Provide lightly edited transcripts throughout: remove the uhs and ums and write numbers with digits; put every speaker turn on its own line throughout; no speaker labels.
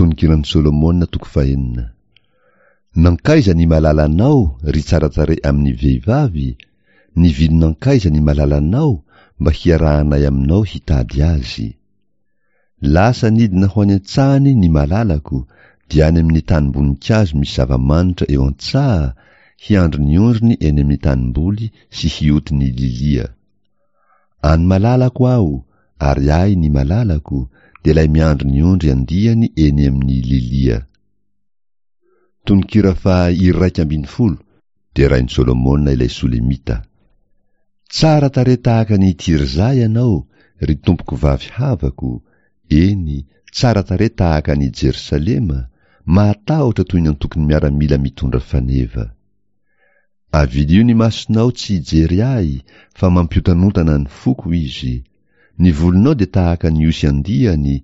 Tononkiran'i Solomona toko fahenina. Nankaiza ny malalanao, ry tsara tarehy amin'ny vehivavy? Nivily nankaiza ny malalanao mba hiarahanay aminao hitady azy? Lasa nidina ho any an-tsahany ny malalako, dia any amin'ny tanim-boninkazo misy zava-manitra eo an-tsaha, hiandry ny ondriny eny amin'ny tanimboly sy hioty ny lilia. Any malalako aho, ary ahy ny malalako, dia ilay miandry ny ondry andiany eny amin'ny lilia. Tononkira faha 11, Derain'i Solomona ilay Solemita. Tsara tarehy tahaka an' i Tirza ianao, ry tompoko vavy havako, eny, tsara tarehy tahaka an' i Jerosalema, mahatahotra toy ny antokon'ny miaramila mitondra faneva. Avilio ny masonao tsy hijery ahy, fa mampiotanontana ny foko izy. Ny volonao dia tahaka ny osy andiany,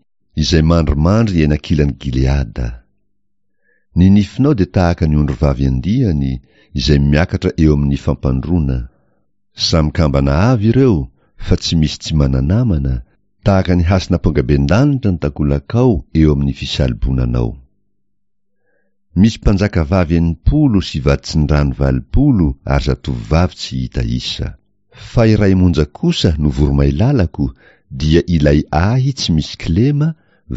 izay mandrimandry eny ankilan'i Gileada. Ny nifinao dia tahaka ny ondrivavy andiany, izay miakatra eo amin'ny fampandroana. Samy kambana avy ireo, fa tsy misy tsy mana-namana, tahaka ny hasin'ampongabendanitra ny takolakao eo amin'ny fisalobonanao. Misy mpanjakavavy 60 sy vaditsindrano 80 ary zatovovavy tsy hita isa. Fa iray monja kosa no voromailalako dia ilay ahy tsy misy kilema,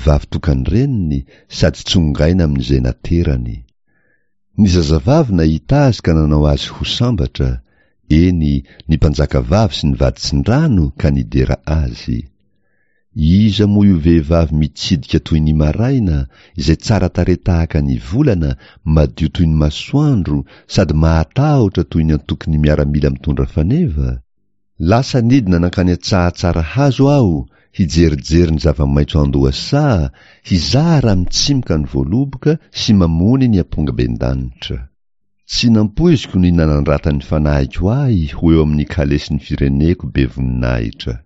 vavy tokan-dreniny sady tsongaina amin'izay naterany. Ny zazavavy nahita azy ka nanao azy ho sambatra, eny, ny mpanjakavavy sy ny vaditsindrano ka nidera azy. Iza moa io vehivavy mitsidika toy ny maraina, izay tsara tarehy tahaka ny volana, madio toy ny masoandro, sady mahatahotra toy ny antokon'ny miaramila mitondra faneva? Lasa nidina nankany an-tsaha tsara hazo aho, hijerijery ny zava-maitso an-dohasaha, hizaha raha mitsimoka ny voaloboka sy mamony ny ampongabendanitra. Tsy nampoiziko ny nanandratan'ny fanahiko ahy ho eo amin'ny kalesin'ny fireneko be voninahitra.